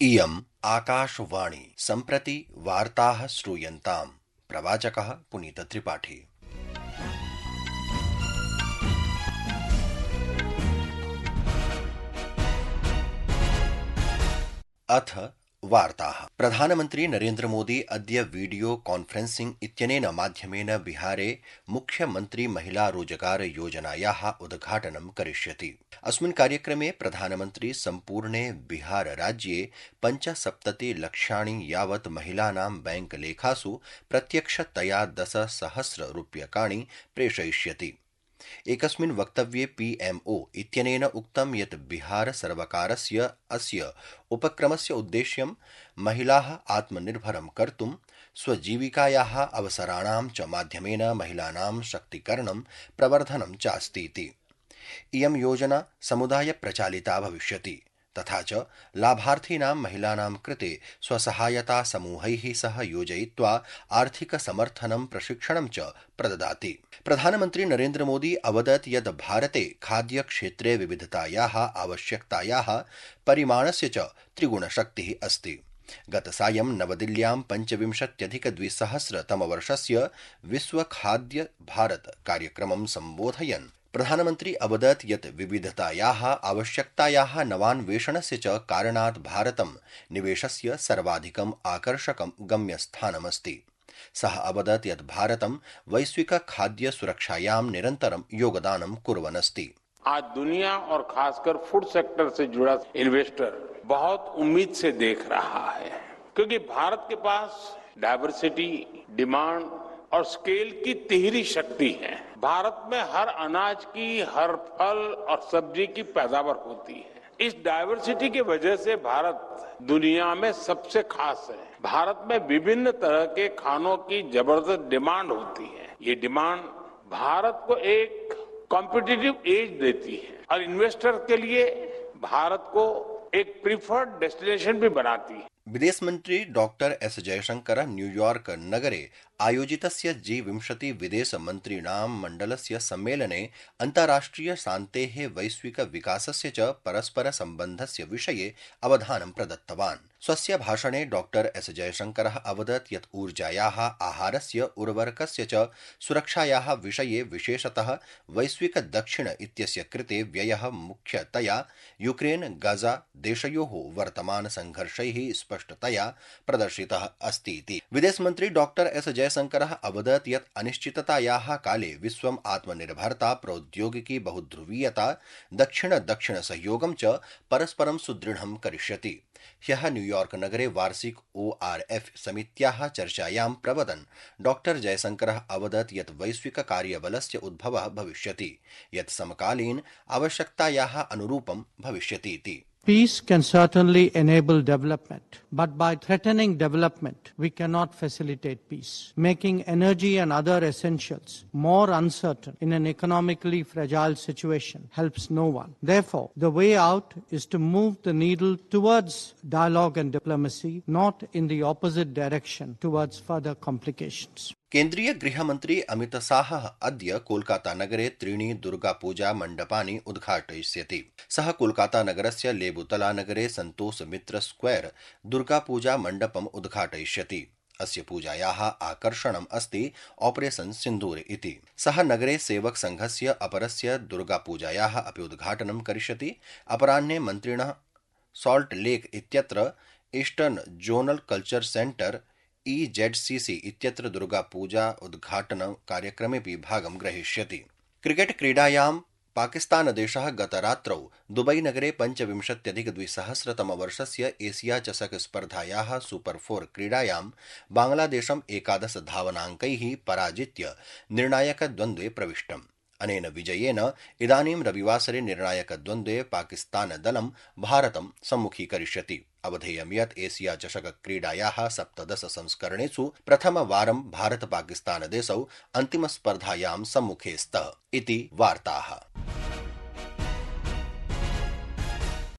इयम् आकाशवाणी सम्प्रति वार्ताः श्रूयन्ताम्। प्रवाचकः पुनीतत्रिपाठी। अथ वार्ताः। प्रधानमन्त्री नरेन्द्र मोदी अद्य वीडियो कॉन्फ्रेंसिंग इत्यनेन माध्यमेन बिहारे मुख्यमंत्री महिला रोजगार योजनायाः उद्घाटनं करिष्यति। अस्मिन् कार्यक्रमे प्रधानमन्त्री सम्पूर्णे बिहार राज्ये 75 लक्षाणि यावत् महिलानां बैंक लेखासु प्रत्यक्षतया 10,000 रूप्यकाणि प्रेषयिष्यति। एकस्मिन् वक्तव्ये पीएमओ इत्यनेन उक्तं यत् बिहार सर्वकारस्य अस्य उपक्रमस्य उद्देश्यं महिलाः आत्मनिर्भरं कर्तुं स्वजीविकायाः अवसराणां च माध्यमेन महिलानां शक्तीकरणं प्रवर्धनं चास्तीति। इयं योजना समुदाय प्रचालिता भविष्यति तथा च लाभार्थीनां महिलानां कृते स्वसहायता समूहैः सह योजयित्वा आर्थिक समर्थनं प्रशिक्षणं च प्रददाति। प्रधानमन्त्री नरेन्द्र मोदी अवदत् यत् भारते खाद्यक्षेत्रे विविधतायाः आवश्यकतायाः परिमाणस्य च त्रिगुणशक्तिः अस्ति। गतसायं नवदिल्ल्यां 25,200 तमवर्षस्य विश्व खाद्य भारत कार्यक्रमं सम्बोधयन् प्रधानमन्त्री अवदत् यत् विविधतायाः आवश्यकतायाः नवान्वेषणस्य च कारणात् भारतं निवेशस्य सर्वाधिकम् आकर्षकं गम्यस्थानमस्ति। सः अवदत् यत् भारतं वैश्विक खाद्य सुरक्षायां निरन्तरं योगदानं कुर्वन् अस्ति। आज दुनिया और खासकर फूड सेक्टर से जुड़ा इन्वेस्टर बहुत उम्मीद से देख रहा है, क्योंकि भारत के पास डाइवर्सिटी, डिमांड और स्केल की तिहरी शक्ति है। भारत में हर अनाज की, हर फल और सब्जी की पैदावार होती है। इस डाइवर्सिटी की वजह से भारत दुनिया में सबसे खास है। भारत में विभिन्न तरह के खानों की जबरदस्त डिमांड होती है। ये डिमांड भारत को एक कॉम्पिटिटिव एज देती है और इन्वेस्टर के लिए भारत को एक प्रिफर्ड डेस्टिनेशन भी बनाती है। विदेश मंत्री डॉक्टर एस जयशंकर न्यूयॉर्क नगरे आयोजितस्य G20 विदेश मन्त्रीणां मण्डलस्य सम्मेलने अन्ताराष्ट्रिय शान्तेः, वैश्विक विकासस्य च परस्पर सम्बन्धस्य विषये अवधानं प्रदत्तवान्। स्वस्य भाषणे डॉक्टर एस जयशंकरः अवदत् यत् ऊर्जायाः, आहारस्य, उर्वरकस्य च सुरक्षायाः विषये विशेषतः वैश्विक दक्षिण इत्यस्य कृते व्ययः मुख्यतया यूक्रेन गाजा देशयोः वर्तमान संघर्षैः स्पष्टतया प्रदर्शितः अस्ति इति। विदेशमन्त्री डॉक्टर एस जयशंकरः अवदत् यत् अनिश्चिततायाः काले विश्वम् आत्मनिर्भरता, प्रौद्योगिकी, बहुध्रुवीयता, दक्षिण सहयोगं च परस्परं सुदृढं करिष्यति। ह्यः न्यूयॉर्क नगरे वार्षिक ORF समित्याः चर्चायां प्रवदन् डॉक्टर जयशंकरः अवदत् यत् वैश्विक कार्यबलस्य उद्भवः भविष्यति, यत् समकालीन आवश्यकतायाः अनुरूपं भविष्यति इति। Peace can certainly enable development, but by threatening development, we cannot facilitate peace. Making energy and other essentials more uncertain in an economically fragile situation helps no one. Therefore, the way out is to move the needle towards dialogue and diplomacy, not in the opposite direction towards further complications. केन्द्रीय गृहमन्त्री अमित शाहः अद्य कोलकाता नगरे 3 दुर्गापूजा मण्डपानि उद्घाटयिष्यति। सः कोलकाता नगरस्य लेबुतला नगरे सन्तोष मित्र square Durga Puja मण्डपम् उद्घाटयिष्यति। अस्य पूजायाः आकर्षणम् अस्ति ऑपरेशन सिन्दूर इति। सः नगरे सेवक संघस्य अपरस्य दुर्गापूजायाः अपि उद्घाटनं करिष्यति। अपराह्ने मन्त्रिणः सॉल्ट लेक इत्यत्र eastern zonal culture centre EZCC इत्यत्र दुर्गापूजा उद्घाटन कार्यक्रमेऽपि भागं ग्रहीष्यति। क्रिकेट क्रीडायां पाकिस्तानदेशः गतरात्रौ दुबईनगरे 25,200 तमवर्षस्य एशिया चषक स्पर्धायाः सुपर 4 क्रीडायां बांग्लादेशं 11 धावनाङ्कैः पराजित्य निर्णायकद्वन्द्वे प्रविष्टम्। अनेन विजयेन इदानीं रविवासरे निर्णायकद्वन्द्वे पाकिस्तानदलं भारतं सम्मुखीकरिष्यति। अवधेयं यत् एशिया चषक क्रीडायाः 17 संस्करणेषु प्रथमवारं भारत पाकिस्तानदेशौ अन्तिमस्पर्धायां सम्मुखे स्तः इति वार्ताः।